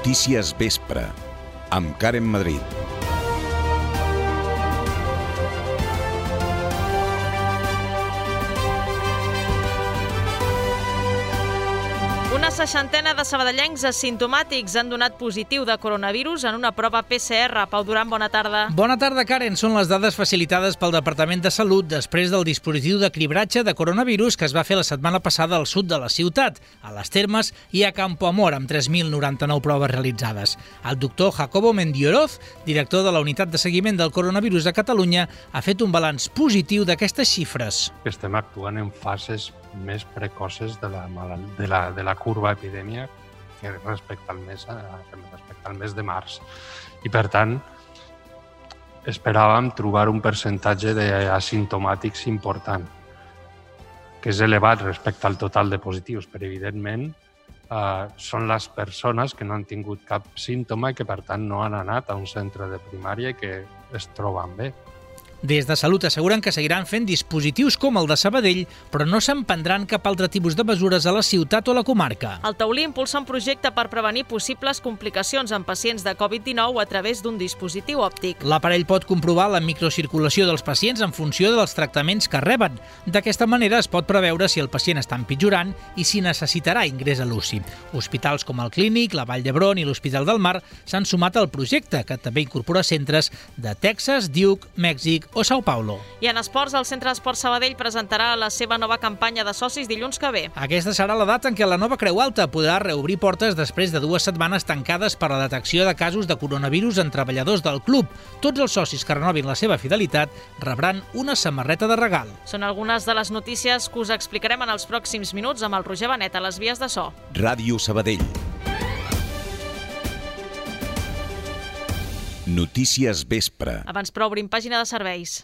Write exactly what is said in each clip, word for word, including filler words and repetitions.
Notícies Vespre, amb Karen Madrid. Una seixantena de sabadellencs asimptomàtics han donat positiu de coronavirus en una prova P C R. Pau Duran, bona tarda. Bona tarda, Karen. Són les dades facilitades pel Departament de Salut després del dispositiu de cribratge de coronavirus que es va fer la setmana passada al sud de la ciutat, a les Termes i a Campoamor, amb tres mil noranta-nou proves realitzades. El doctor Jacobo Mendioroz, director de la Unitat de Seguiment del Coronavirus a Catalunya, ha fet un balanç positiu d'aquestes xifres. Estem actuant en fases més precoces de la, de la, de la curva epidèmia que respecte al mes, respecte al mes de març. I, per tant, esperàvem trobar un percentatge d'asimptomàtics important, que és elevat respecte al total de positius, però, evidentment, eh, són les persones que no han tingut cap símptoma i que, per tant, no han anat a un centre de primària i que es troben bé. Des de Salut asseguren que seguiran fent dispositius com el de Sabadell, però no s'emprendran cap altre tipus de mesures a la ciutat o a la comarca. El Taulí impulsa un projecte per prevenir possibles complicacions en pacients de covid dinou a través d'un dispositiu òptic. L'aparell pot comprovar la microcirculació dels pacients en funció dels tractaments que reben. D'aquesta manera es pot preveure si el pacient està empitjorant i si necessitarà ingrés a l'U C I. Hospitals com el Clínic, la Vall d'Hebron i l'Hospital del Mar s'han sumat al projecte, que també incorpora centres de Texas, Duke, Mèxic o São Paulo. I en esports, el Centre d'Esport Sabadell presentarà la seva nova campanya de socis dilluns que ve. Aquesta serà la data en què la nova Creu Alta podrà reobrir portes després de dues setmanes tancades per la detecció de casos de coronavirus en treballadors del club. Tots els socis que renovin la seva fidelitat rebran una samarreta de regal. Són algunes de les notícies que us explicarem en els pròxims minuts amb el Roger Benet a les vies de so. Ràdio Sabadell. Notícies Vespre. Abans, però, obrim pàgina de serveis.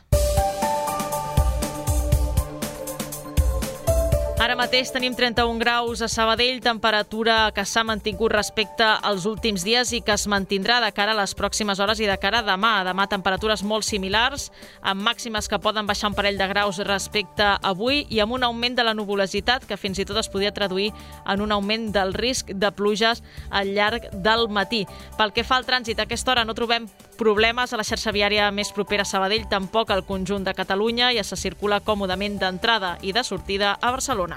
Ara mateix tenim trenta-un graus a Sabadell, temperatura que s'ha mantingut respecte als últims dies i que es mantindrà de cara a les pròximes hores i de cara a demà. Demà temperatures molt similars, amb màximes que poden baixar un parell de graus respecte a avui i amb un augment de la nuvolositat que fins i tot es podria traduir en un augment del risc de pluges al llarg del matí. Pel que fa al trànsit, a aquesta hora no trobem problemes a la xarxa viària més propera a Sabadell, tampoc al conjunt de Catalunya, i se circula còmodament d'entrada i de sortida a Barcelona.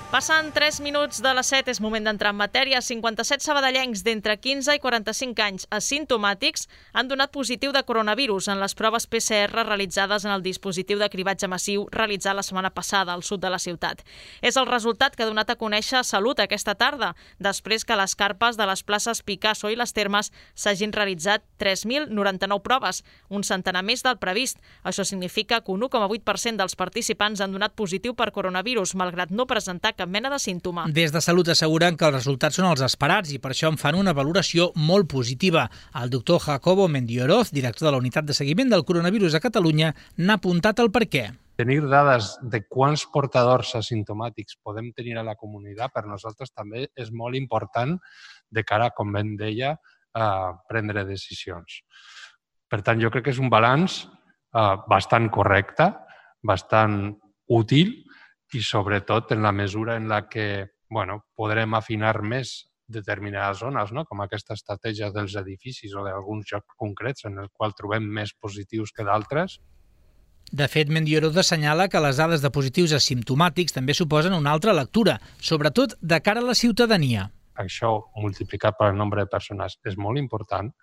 Passen tres minuts de les set, és moment d'entrar en matèria. cinquanta-set sabadellencs d'entre quinze i quaranta-cinc anys asimptomàtics han donat positiu de coronavirus en les proves P C R realitzades en el dispositiu de cribatge massiu realitzat la setmana passada al sud de la ciutat. És el resultat que ha donat a conèixer Salut aquesta tarda, després que a les carpes de les places Picasso i les Termes s'hagin realitzat tres mil noranta-nou proves, un centenar més del previst. Això significa que un u coma vuit per cent dels participants han donat positiu per coronavirus, malgrat no presentar cap mena de símptoma. Des de Salut asseguren que els resultats són els esperats i per això en fan una valoració molt positiva. El doctor Jacobo Mendioroz, director de la Unitat de Seguiment del Coronavirus a Catalunya, n'ha apuntat el perquè. Tenir dades de quants portadors asimptomàtics podem tenir a la comunitat per nosaltres també és molt important de cara, com ben deia, a prendre decisions. Per tant, jo crec que és un balanç eh, bastant correcte, bastant útil, i sobretot en la mesura en la que bueno, podrem afinar més determinades zones, no? Com aquesta estratègia dels edificis o d'alguns llocs concrets en els quals trobem més positius que d'altres. De fet, Mendioroz assenyala que les dades de positius asimptomàtics també suposen una altra lectura, sobretot de cara a la ciutadania. Això, multiplicat pel nombre de persones, és molt important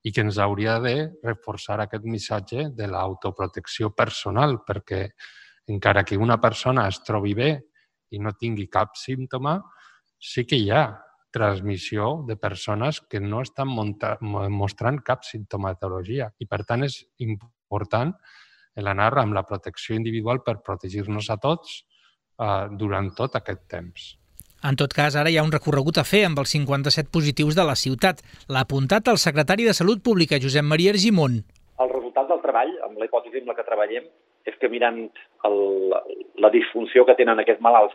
i que ens hauria de reforçar aquest missatge de l'autoprotecció personal, perquè encara que una persona es trobi bé i no tingui cap símptoma, sí que hi ha transmissió de persones que no estan mostrant cap simptomatologia. I, per tant, és important l'anar amb la protecció individual per protegir-nos a tots eh, durant tot aquest temps. En tot cas, ara hi ha un recorregut a fer amb els cinquanta-set positius de la ciutat. L'ha apuntat el secretari de Salut Pública, Josep Maria Argimon. El resultat del treball, amb la hipòtesi amb la que treballem, és que mirant el, la disfunció que tenen aquests malalts.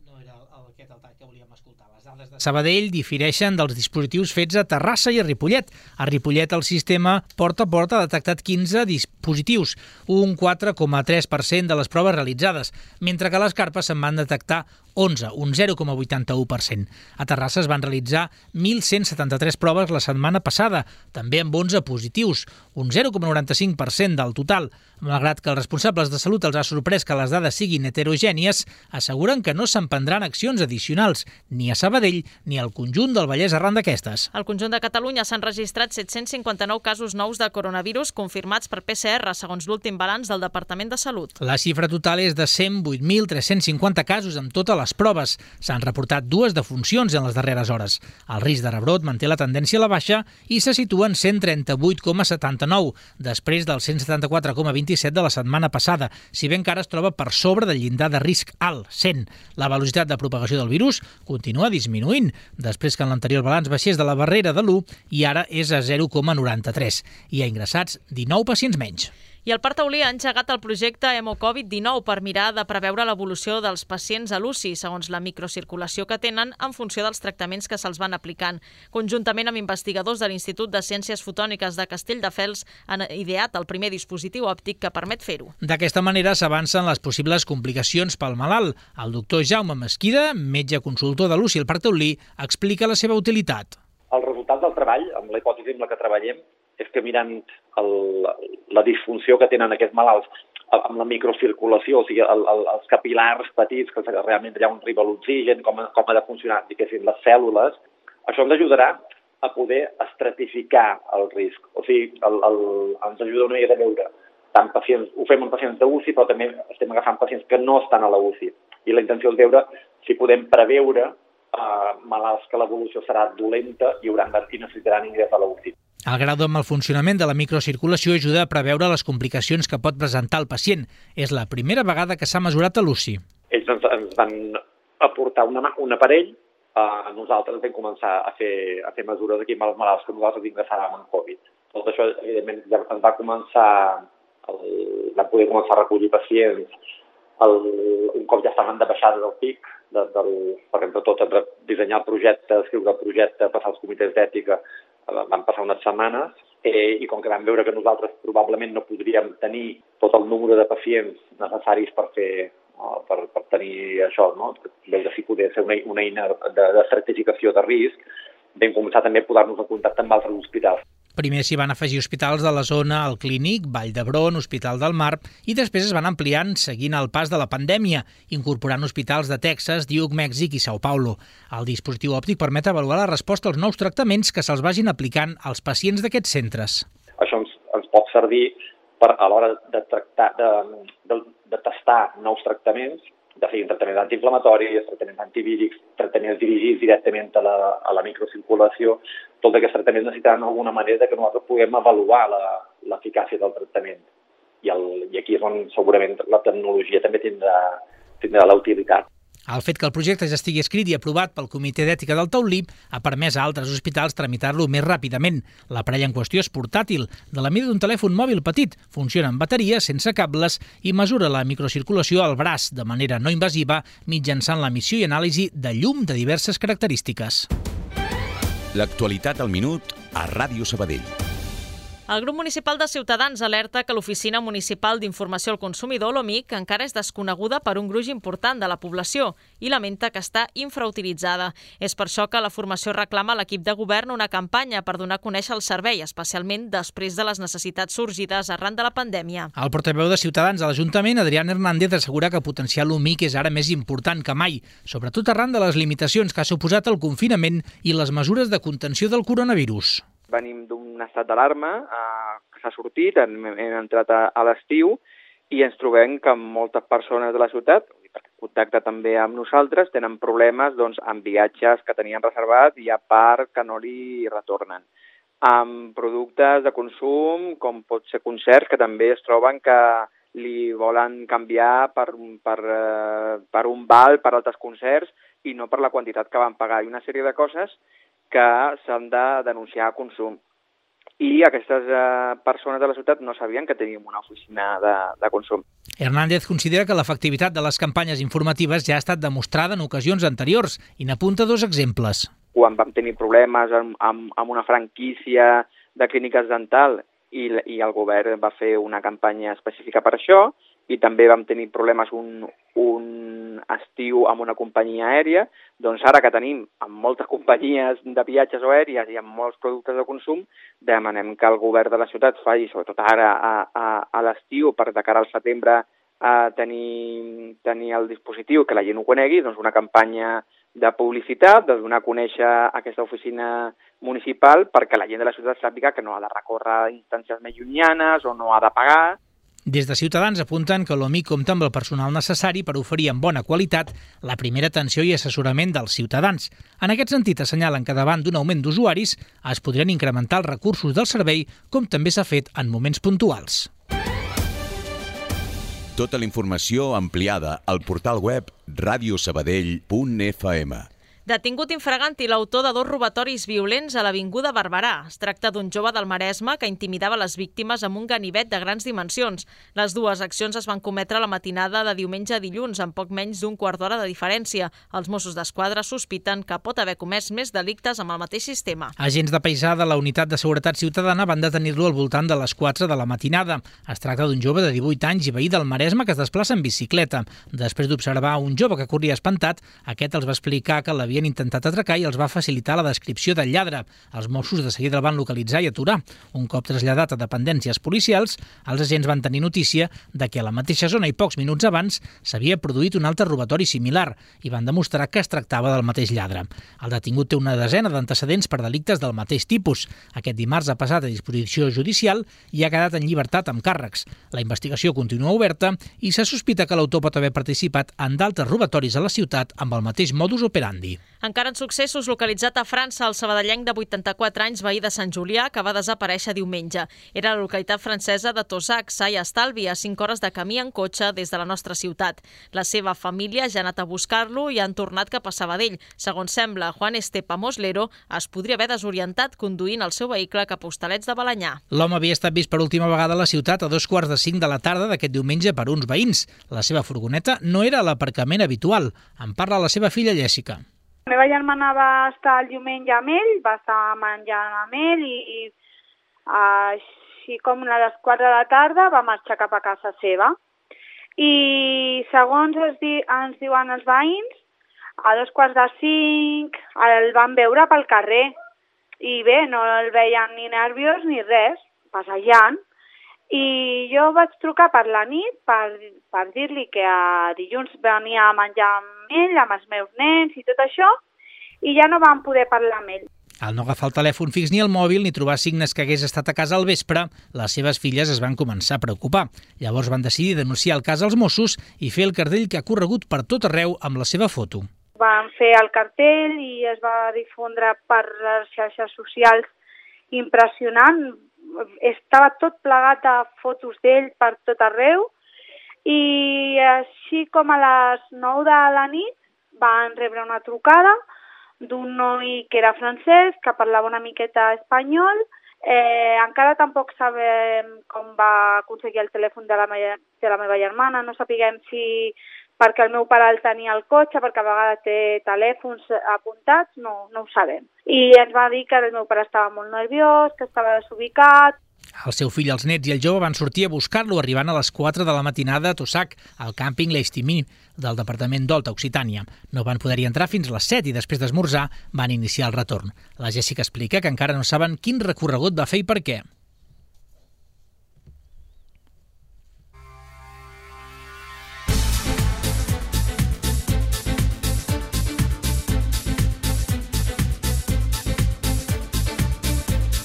No era aquest el tall que volíem escoltar. Les dades de Sabadell difereixen dels dispositius fets a Terrassa i a Ripollet. A Ripollet el sistema porta a porta ha detectat quinze dispositius, un quatre coma tres per cent de les proves realitzades, mentre que a les carpes se'n van detectar onze, un zero coma vuitanta-u per cent. A Terrassa es van realitzar mil cent setanta-tres proves la setmana passada, també amb onze positius, un zero coma noranta-cinc per cent del total. Malgrat que els responsables de salut els ha sorprès que les dades siguin heterogènies, asseguren que no s'emprendran accions addicionals, ni a Sabadell ni al conjunt del Vallès arran d'aquestes. Al conjunt de Catalunya s'han registrat set-cents cinquanta-nou casos nous de coronavirus confirmats per P C R, segons l'últim balanç del Departament de Salut. La xifra total és de cent vuit mil tres-cents cinquanta casos amb totes les proves. S'han reportat dues defuncions en les darreres hores. El risc de rebrot manté la tendència a la baixa i se situa en cent trenta-vuit coma setanta-nou, després del cent setanta-quatre coma vint-i-set de la setmana passada, si bé encara es troba per sobre del llindar de risc alt, cent. La velocitat de propagació del virus continua disminuint, després que en l'anterior balanç baixés de la barrera de l'u i ara és a zero coma noranta-tres. Hi ha ingressats dinou pacients menys. I el Parc Taulí ha engegat el projecte Hemo Covid dinou per mirar de preveure l'evolució dels pacients a l'U C I, segons la microcirculació que tenen en funció dels tractaments que se'ls van aplicant. Conjuntament amb investigadors de l'Institut de Ciències Fotòniques de Castelldefels han ideat el primer dispositiu òptic que permet fer-ho. D'aquesta manera s'avancen les possibles complicacions pel malalt. El doctor Jaume Mesquida, metge consultor de l'U C I al Parc Taulí, explica la seva utilitat. El resultat del treball, amb la hipòtesi amb la que treballem, és que mirant el, la disfunció que tenen aquests malalts amb la microcirculació, o sigui, el, el, els capilars petits, que realment allà on arriba l'oxigen, com, com ha de funcionar, diguéssim, les cèl·lules, això ens ajudarà a poder estratificar el risc. O sigui, el, el, ens ajuda una mica a veure tant pacients, ho fem amb pacients d'U C I, però també estem agafant pacients que no estan a la U C I. I la intenció és veure si podem preveure eh, malalts que l'evolució serà dolenta i, hauran de, i necessitaran ingrés a la U C I. El grau de malfuncionament de la microcirculació ajuda a preveure les complicacions que pot presentar el pacient. És la primera vegada que s'ha mesurat a l'U C I. Ells ens, ens van aportar una, un aparell, eh, nosaltres vam començar a fer, a fer mesures aquí amb els malalts que nosaltres ingressàvem en Covid. Tot això, evidentment, ja ens va començar, el, vam poder començar a recollir pacients el, un cop ja estaven de baixada del pic, de, del, perquè entre tot entre dissenyar el projecte, escriure el projecte, passar als comitès d'ètica, van passar unes setmanes eh, i com que vam veure que nosaltres probablement no podríem tenir tot el número de pacients necessaris per fer no, per, per tenir això, no? Veure si podia ser una, una eina de, de certificació de risc, vam començar també a posar-nos en contacte amb altres hospitals. Primer s'hi van afegir hospitals de la zona, el Clínic, Vall d'Hebron, Hospital del Mar, i després es van ampliant seguint el pas de la pandèmia, incorporant hospitals de Texas, Duke, Mèxic i São Paulo. El dispositiu òptic permet avaluar la resposta als nous tractaments que se'ls vagin aplicant als pacients d'aquests centres. Això ens, ens pot servir per, a l'hora de, tractar, de, de, de tastar nous tractaments, de fer tractaments antiinflamatoris, tractaments antivírics, tractaments dirigits directament a la, a la microcirculació. Tots aquests tractaments necessitaran alguna manera que nosaltres puguem avaluar l'eficàcia del tractament. I, el, I aquí és on segurament la tecnologia també tindrà, tindrà la utilitat. El fet que el projecte ja estigui escrit i aprovat pel Comitè d'Ètica del Taulí ha permès a altres hospitals tramitar-lo més ràpidament. L'aparell en qüestió és portàtil, de la mida d'un telèfon mòbil petit, funciona amb bateria, sense cables i mesura la microcirculació al braç de manera no invasiva mitjançant l'emissió i anàlisi de llum de diverses característiques. L'actualitat al minut a Ràdio Sabadell. El grup municipal de Ciutadans alerta que l'Oficina Municipal d'Informació al Consumidor, l'OMIC, encara és desconeguda per un gruix important de la població i lamenta que està infrautilitzada. És per això que la formació reclama a l'equip de govern una campanya per donar a conèixer el servei, especialment després de les necessitats sorgides arran de la pandèmia. El portaveu de Ciutadans a l'Ajuntament, Adrián Hernández, assegura que potenciar l'OMIC és ara més important que mai, sobretot arran de les limitacions que ha suposat el confinament i les mesures de contenció del coronavirus. Venim d'un estat d'alarma eh, que s'ha sortit, hem, hem entrat a, a l'estiu i ens trobem que moltes persones de la ciutat, perquè contacta també amb nosaltres, tenen problemes doncs, amb viatges que tenien reservat i a part que no li retornen. Amb productes de consum, com pot ser concerts, que també es troben que li volen canviar per, per, eh, per un val per altres concerts i no per la quantitat que van pagar. I una sèrie de coses que s'han de denunciar a consum. I aquestes eh, persones de la ciutat no sabien que teníem una oficina de, de consum. Hernández considera que l'efectivitat de les campanyes informatives ja ha estat demostrada en ocasions anteriors i n'apunta dos exemples. Quan vam tenir problemes amb, amb, amb una franquícia de clíniques dental i, i el govern va fer una campanya específica per això, i també vam tenir problemes un, un estiu amb una companyia aèria, doncs ara que tenim amb moltes companyies de viatges o aèries i amb molts productes de consum, demanem que el govern de la ciutat faci, sobretot ara a, a, a l'estiu, per de cara al setembre a tenir, tenir el dispositiu, que la gent ho conegui, doncs una campanya de publicitat, de donar a conèixer aquesta oficina municipal perquè la gent de la ciutat sàpiga que no ha de recórrer instàncies més llunyanes o no ha de pagar. Des de Ciutadans apunten que l'O M I compta amb el personal necessari per oferir amb bona qualitat la primera atenció i assessorament dels ciutadans. En aquest sentit, assenyalen que davant d'un augment d'usuaris es podrien incrementar els recursos del servei, com també s'ha fet en moments puntuals. Tota la informació ampliada al portal web radio sabadell punt f m. Detingut infraganti l'autor de dos robatoris violents a l'Avinguda Barberà. Es tracta d'un jove del Maresme que intimidava les víctimes amb un ganivet de grans dimensions. Les dues accions es van cometre la matinada de diumenge a dilluns, amb poc menys d'un quart d'hora de diferència. Els Mossos d'Esquadra sospiten que pot haver comès més delictes amb el mateix sistema. Agents de paisà de la Unitat de Seguretat Ciutadana van detenir-lo al voltant de les quatre de la matinada. Es tracta d'un jove de divuit anys i veí del Maresme que es desplaça en bicicleta. Després d'observar un jove que corria espantat, aquest els va explicar que l'havia havien intentat atracar i els va facilitar la descripció del lladre. Els Mossos de seguida el van localitzar i aturar. Un cop traslladat a dependències policials, els agents van tenir notícia de que a la mateixa zona i pocs minuts abans s'havia produït un altre robatori similar i van demostrar que es tractava del mateix lladre. El detingut té una desena d'antecedents per delictes del mateix tipus. Aquest dimarts ha passat a disposició judicial i ha quedat en llibertat amb càrrecs. La investigació continua oberta i se sospita que l'autor pot haver participat en d'altres robatoris a la ciutat amb el mateix modus operandi. Encara en successos, localitzat a França el sabadellenc de vuitanta-quatre anys, veí de Sant Julià, que va desaparèixer diumenge. Era la localitat francesa de Tossac, sa i estalvi, a cinc hores de camí en cotxe des de la nostra ciutat. La seva família ja ha anat a buscar-lo i han tornat cap a Sabadell. Segons sembla, Juan Estepa Moslero es podria haver desorientat conduint el seu vehicle cap a Hostalets de Balenyà. L'home havia estat vist per última vegada a la ciutat a dos quarts de cinc de la tarda d'aquest diumenge per uns veïns. La seva furgoneta no era a l'aparcament habitual. En parla la seva filla Jessica. La meva germana va estar el diumenge amb ell, va estar menjant amb ell i, i així com a les quatre de la tarda va marxar cap a casa seva. I segons es di, ens diuen els veïns, a dos quarts de cinc el van veure pel carrer i bé, no el veien ni nerviós ni res, passejant. I jo vaig trucar per la nit per, per dir-li que a dilluns venia a menjar amb ell, amb els meus nens i tot això, i ja no vam poder parlar amb ell. Al no agafar el telèfon fix ni el mòbil ni trobar signes que hagués estat a casa al vespre, les seves filles es van començar a preocupar. Llavors van decidir denunciar el cas als Mossos i fer el cartell que ha corregut per tot arreu amb la seva foto. Van fer el cartell i es va difondre per les xarxes socials impressionant. Estava tot plegat de fotos d'ell per tot arreu i així com a les nou de la nit van rebre una trucada d'un noi que era francès, que parlava una miqueta espanyol. Eh, encara tampoc sabem com va aconseguir el telèfon de la, meva, de la meva germana, no sapiguem si perquè el meu pare el tenia al cotxe, perquè a vegades té telèfons apuntats, no, no ho sabem. I ens va dir que el meu pare estava molt nerviós, que estava desubicat. El seu fill, els nets i el jove van sortir a buscar-lo arribant a les quatre de la matinada a Tossac, al càmping L'Estimí del departament d'Olta, Occitània. No van poder-hi entrar fins a les set i després d'esmorzar van iniciar el retorn. La Jessica explica que encara no saben quin recorregut va fer i per què.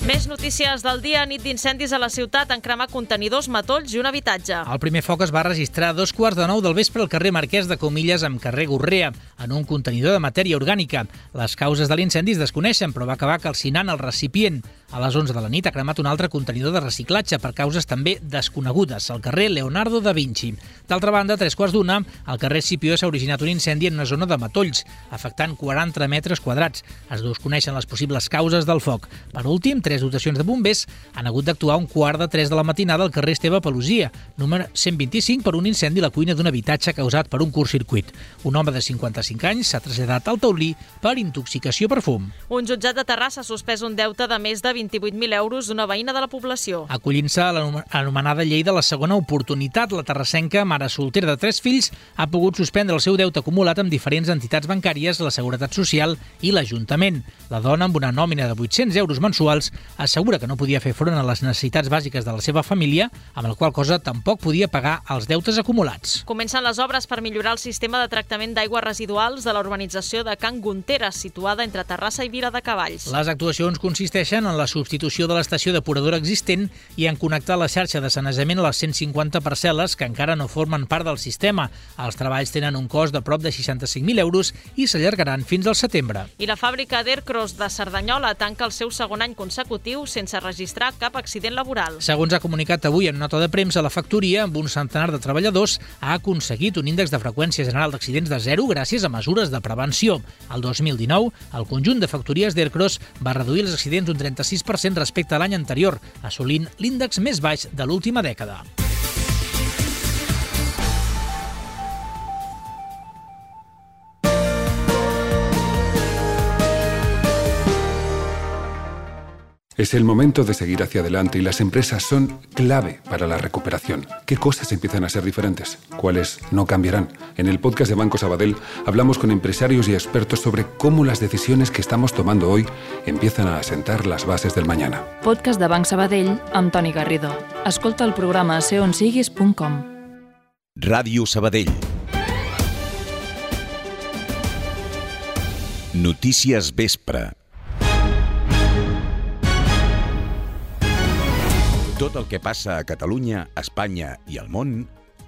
Més notícies del dia. Nit d'incendis a la ciutat en cremar contenidors, matolls i un habitatge. El primer foc es va registrar a dos quarts de nou del vespre al carrer Marquès de Comilles amb carrer Gorrea, en un contenidor de matèria orgànica. Les causes de l'incendi es desconeixen, però va acabar calcinant el recipient. A les onze de la nit ha cremat un altre contenidor de reciclatge per causes també desconegudes, al carrer Leonardo da Vinci. D'altra banda, a tres quarts d'una, al carrer Escipió s'ha originat un incendi en una zona de matolls, afectant quaranta metres quadrats. Es desconeixen les possibles causes del foc. Per últim, tres dotacions de bombers han hagut d'actuar un quart de tres de la matinada al carrer Esteve Pelusia, número cent vint-i-cinc, per un incendi a la cuina d'un habitatge causat per un curtcircuit. Un home de cinquanta-cinc anys s'ha traslladat al taulí per intoxicació per fum. Un jutjat de Terrassa ha suspès un deute de més de vint-i-vuit mil euros d'una veïna de la població. Acollint-se a l'anomenada llei de la segona oportunitat, la terrassenca, mare soltera de tres fills, ha pogut suspendre el seu deute acumulat amb diferents entitats bancàries, la Seguretat Social i l'Ajuntament. La dona, amb una nòmina de vuit-cents euros mensuals, assegura que no podia fer front a les necessitats bàsiques de la seva família, amb la qual cosa tampoc podia pagar els deutes acumulats. Comencen les obres per millorar el sistema de tractament d'aigües residuals de la urbanització de Can Gunteres, situada entre Terrassa i Vila de Cavalls. Les actuacions consisteixen en la substitució de l'estació depuradora existent i en connectar la xarxa de sanejament a les cent cinquanta parcel·les que encara no formen part del sistema. Els treballs tenen un cost de prop de seixanta-cinc mil euros i s'allargaran fins al setembre. I la fàbrica d'Aircross de Cerdanyola tanca el seu segon any consecutiu sense registrar cap accident laboral. Segons ha comunicat avui en nota de premsa, la factoria, amb un centenar de treballadors, ha aconseguit un índex de freqüència general d'accidents de zero gràcies a mesures de prevenció. El dos mil dinou, el conjunt de factories d'Aircross va reduir els accidents un trenta-sis per cent respecte a l'any anterior, assolint l'índex més baix de l'última dècada. Es el momento de seguir hacia adelante y las empresas son clave para la recuperación. ¿Qué cosas empiezan a ser diferentes? ¿Cuáles no cambiarán? En el podcast de Banco Sabadell hablamos con empresarios y expertos sobre cómo las decisiones que estamos tomando hoy empiezan a asentar las bases del mañana. Podcast de Banc Sabadell amb Toni Garrido. Escolta el programa a ser on siguis punt com. Ràdio Sabadell. Notícies Vespre. Tot el que passa a Catalunya, Espanya i al món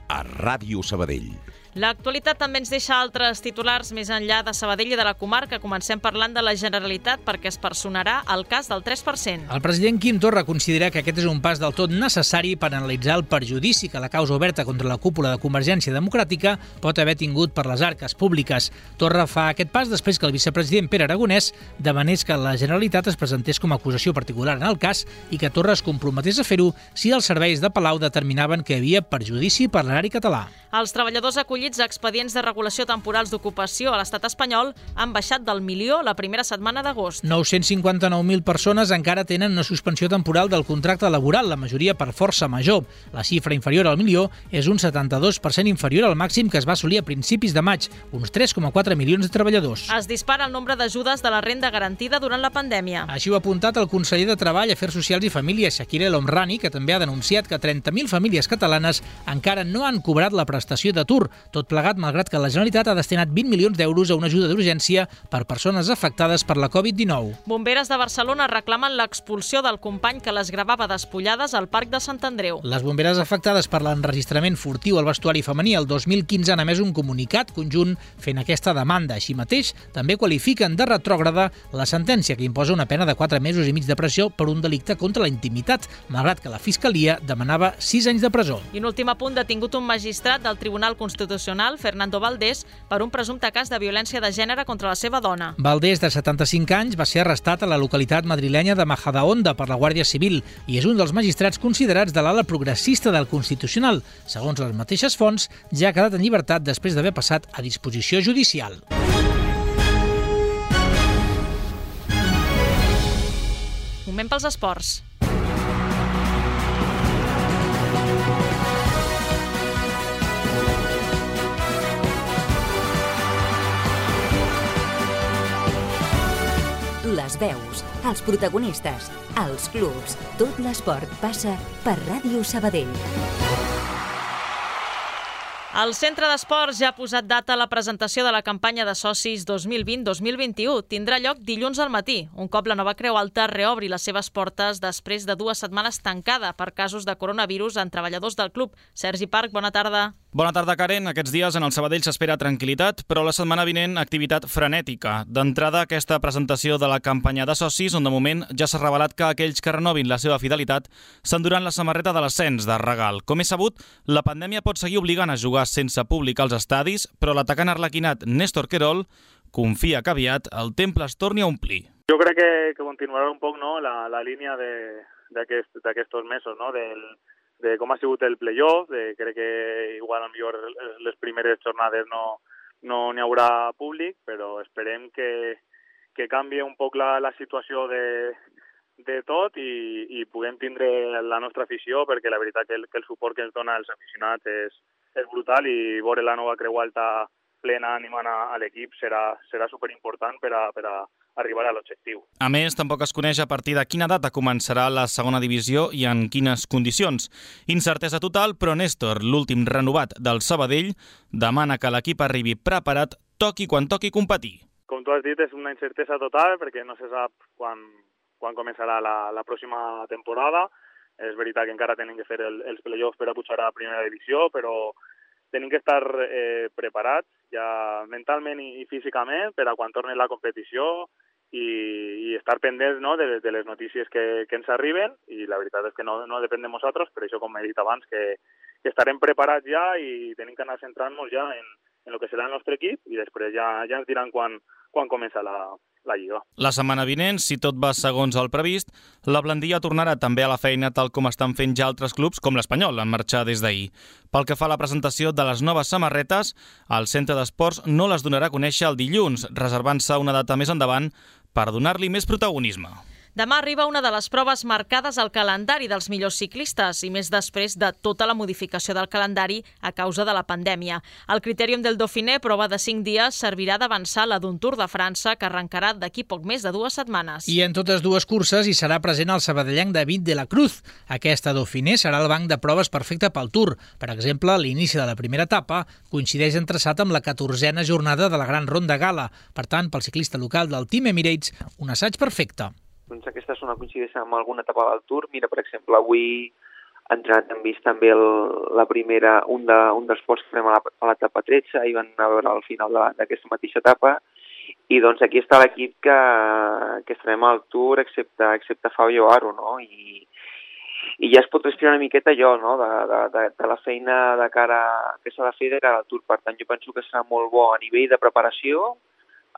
a Ràdio Sabadell. L'actualitat també ens deixa altres titulars més enllà de Sabadell i de la comarca. Comencem parlant de la Generalitat perquè es personarà el cas del tres per cent. El president Quim Torra considera que aquest és un pas del tot necessari per analitzar el perjudici que la causa oberta contra la cúpula de Convergència Democràtica pot haver tingut per les arques públiques. Torra fa aquest pas després que el vicepresident Pere Aragonès demanés que la Generalitat es presentés com a acusació particular en el cas i que Torra es comprometés a fer-ho si els serveis de Palau determinaven que hi havia perjudici per l'erari català. Els treballadors acollits a expedients de regulació temporals d'ocupació a l'estat espanyol han baixat del milió la primera setmana d'agost. nou-cents cinquanta-nou mil persones encara tenen una suspensió temporal del contracte laboral, la majoria per força major. La xifra inferior al milió és un setanta-dos per cent inferior al màxim que es va assolir a principis de maig, uns tres coma quatre milions de treballadors. Es dispara el nombre d'ajudes de la renda garantida durant la pandèmia. Així ho ha apuntat el conseller de Treball, Afers Socials i Famílies, Shakir El Homrani, que també ha denunciat que trenta mil famílies catalanes encara no han cobrat la prestació d'atur, tot plegat malgrat que la Generalitat ha destinat vint milions d'euros a una ajuda d'urgència per persones afectades per la covid dinou. Bomberes de Barcelona reclamen l'expulsió del company que les gravava despullades al Parc de Sant Andreu. Les bomberes afectades per l'enregistrament furtiu al vestuari femení el dos mil quinze han emès un comunicat conjunt fent aquesta demanda. Així mateix, també qualifiquen de retrògrada la sentència que imposa una pena de quatre mesos i mig de presó per un delicte contra la intimitat, malgrat que la Fiscalia demanava sis anys de presó. I un últim apunt, detingut un magistrat del Tribunal Constitucional, Fernando Valdés, per un presumpte cas de violència de gènere contra la seva dona. Valdés, de setanta-cinc anys, va ser arrestat a la localitat madrilenya de Majadahonda per la Guàrdia Civil i és un dels magistrats considerats de l'ala progressista del Constitucional. Segons les mateixes fonts, ja ha quedat en llibertat després d'haver passat a disposició judicial. Moment pels esports. Les veus, els protagonistes, els clubs, tot l'esport passa per Ràdio Sabadell. El Centre d'Esports ja ha posat data a la presentació de la campanya de socis dos mil vint dos mil vint-i-u. Tindrà lloc dilluns al matí, un cop la nova Creu Alta reobri les seves portes després de dues setmanes tancada per casos de coronavirus en treballadors del club. Sergi Parc, bona tarda. Bona tarda, Karen. Aquests dies en el Sabadell s'espera tranquil·litat, però la setmana vinent activitat frenètica. D'entrada, aquesta presentació de la campanya de socis, on de moment ja s'ha revelat que aquells que renovin la seva fidelitat s'enduran la samarreta de l'ascens de regal. Com és sabut, la pandèmia pot seguir obligant a jugar sense públic als estadis, però l'atacant arlequinat Néstor Querol confia que aviat el temple es torni a omplir. Jo crec que, que continuarà un poc, no, la, la línia d'aquests aquest, mesos, no, del de com ha sigut el playoff, de, crec que igual millor les primeres jornades no no n'hi haurà públic, però esperem que, que canvi un poc la, la situació de, de tot i, i puguem tindre la nostra afició, perquè la veritat que el, que el suport que ens dona els aficionats és, és brutal i veure la nova Creu Alta plena animant a, a l'equip serà, serà superimportant per a, per a arribar a l'objectiu. A més, tampoc es coneix a partir de quina data començarà la segona divisió i en quines condicions. Incertesa total, però Néstor, l'últim renovat del Sabadell, demana que l'equip arribi preparat, toqui quan toqui competir. Com tu has dit, és una incertesa total perquè no se sap quan, quan començarà la, la pròxima temporada. És veritat que encara tenen que fer el, els play-offs per a pujar a la primera divisió, però tenim que estar eh, preparats ja mentalment i, i físicament per a quan torni la competició i, i estar pendents, no, de, de les notícies que, que ens arriben, i la veritat és que no, no depèn de nosaltres, per això, com he dit abans, que, que estarem preparats ja i tenim que anar centrant-nos ja en, en el que serà el nostre equip i després ja, ja ens diran quan, quan comença la, la Lliga. La setmana vinent, si tot va segons el previst, la Blandilla tornarà també a la feina tal com estan fent ja altres clubs com l'Espanyol, en marxar des d'ahir. Pel que fa a la presentació de les noves samarretes, el Centre d'Esports no les donarà a conèixer el dilluns, reservant-se una data més endavant per donar-li més protagonisme. Demà arriba una de les proves marcades al calendari dels millors ciclistes i més després de tota la modificació del calendari a causa de la pandèmia. El Critèrium del Dauphiné, prova de cinc dies, servirà d'avançar la d'un Tour de França que arrencarà d'aquí poc més de dues setmanes. I en totes dues curses hi serà present el sabadellenc David de la Cruz. Aquesta Dauphiné serà el banc de proves perfecte pel Tour. Per exemple, l'inici de la primera etapa coincideix en traçat amb la catorzena jornada de la Gran Ronda Gala. Per tant, pel ciclista local del Team Emirates, un assaig perfecte. Doncs aquesta és una coincidència amb alguna etapa del Tour. Mira, per exemple, avui entrenat hem vist també el, la primera, un, de, un dels ports que fem a l'etapa tretze, i van a veure al final d'aquesta mateixa etapa, i doncs aquí està l'equip que, que estarem al Tour, excepte, excepte Fabio Aro, no? I, i ja es pot respirar una miqueta allò, no? de, de, de, de la feina de cara, que s'ha de fer de cara al Tour. Per tant, jo penso que serà molt bo a nivell de preparació,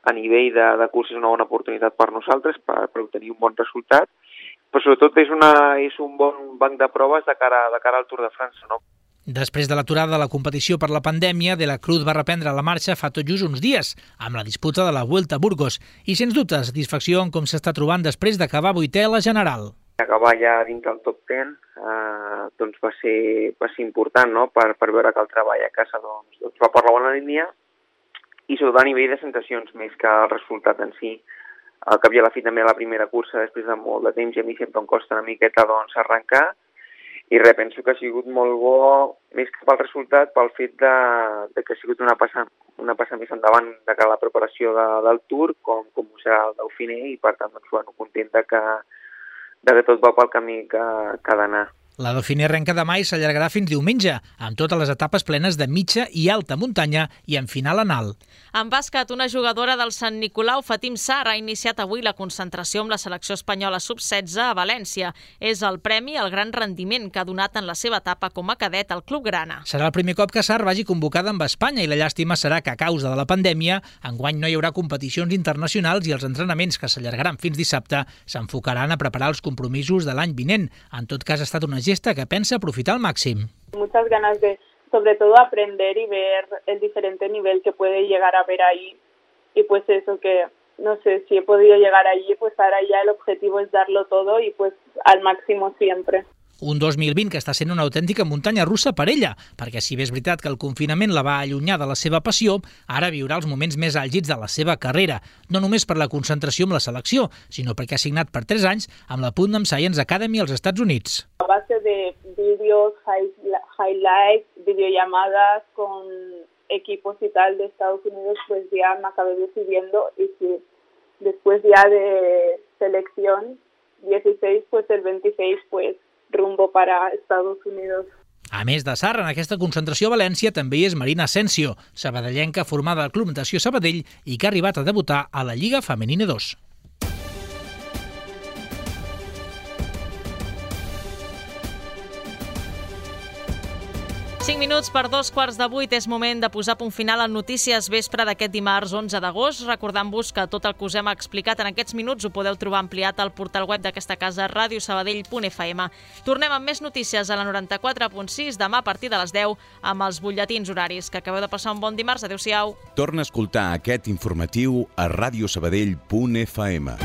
a nivell de, de curs és una bona oportunitat per nosaltres per, per obtenir un bon resultat, però sobretot és, una, és un bon banc de proves de cara, de cara al Tour de França, no? Després de l'aturada de la competició per la pandèmia, De la Cruz va reprendre la marxa fa tot just uns dies, amb la disputa de la Vuelta a Burgos, i sens dubte satisfacció en com s'està trobant després d'acabar vuitè a la general. Acabar ja dins del top deu eh, doncs va ser, va ser important, no? per, per veure que el treball a casa doncs, doncs va per la bona línia, i sobretot a nivell de sensacions més que el resultat en si. Al cap i a la fi també la primera cursa després de molt de temps, i a mi sempre em costa una miqueta doncs, arrencar, i res, penso que ha sigut molt bo, més que pel resultat, pel fet de, de que ha sigut una passa, una passa més endavant de cara a la preparació de, del Tour, com, com ho serà el Dauphiné, i per tant, doncs, bueno, content de que, de que tot va pel camí que, que ha d'anar. La Dauphiné arrenca demà i s'allargarà fins diumenge, amb totes les etapes plenes de mitja i alta muntanya i en final en alt. En bàsquet, una jugadora del Sant Nicolau, Fatim Sarr, ha iniciat avui la concentració amb la selecció espanyola sub setze a València. És el premi al gran rendiment que ha donat en la seva etapa com a cadet al Club Grana. Serà el primer cop que Sarr vagi convocada amb Espanya, i la llàstima serà que a causa de la pandèmia enguany no hi haurà competicions internacionals i els entrenaments, que s'allargaran fins dissabte, s'enfocaran a preparar els compromisos de l'any vinent. En tot cas, ha estat una gesta que pensa aprofitar al máximo. Muchas ganas de, sobre todo, aprender y ver el diferente nivel que puede llegar a haber ahí. Y pues eso, que no sé, si he podido llegar allí, pues ahora ya el objetivo es darlo todo y pues al máximo siempre. Un dos mil vint que està sent una autèntica muntanya russa per ella, perquè si bé és veritat que el confinament la va allunyar de la seva passió, ara viurà els moments més àlgids de la seva carrera, no només per la concentració amb la selecció, sinó perquè ha signat per tres anys amb la Putnam Science Academy als Estats Units. A base de vídeos, highlights, videollamadas con equipos y tal de Estados Unidos, pues ya me acabé decidiendo, y si después ya de selección dieciséis, pues el veintiséis, pues rumbo para Estados Unidos. A més de Sarr, en aquesta concentració a València també hi és Marina Asensio, sabadellenca formada al Club Natació Sabadell i que ha arribat a debutar a la Lliga Femenina dos. cinc minuts per dos quarts de vuit. És moment de posar punt final en Notícies Vespre d'aquest dimarts onze d'agost. Recordant-vos que tot el que us hem explicat en aquests minuts ho podeu trobar ampliat al portal web d'aquesta casa, radio sabadell punt f m. Tornem amb més notícies a la noranta-quatre punt sis demà a partir de les deu amb els butlletins horaris. Que acabeu de passar un bon dimarts. Adéu-siau. Torna a escoltar aquest informatiu a radio sabadell punt f m.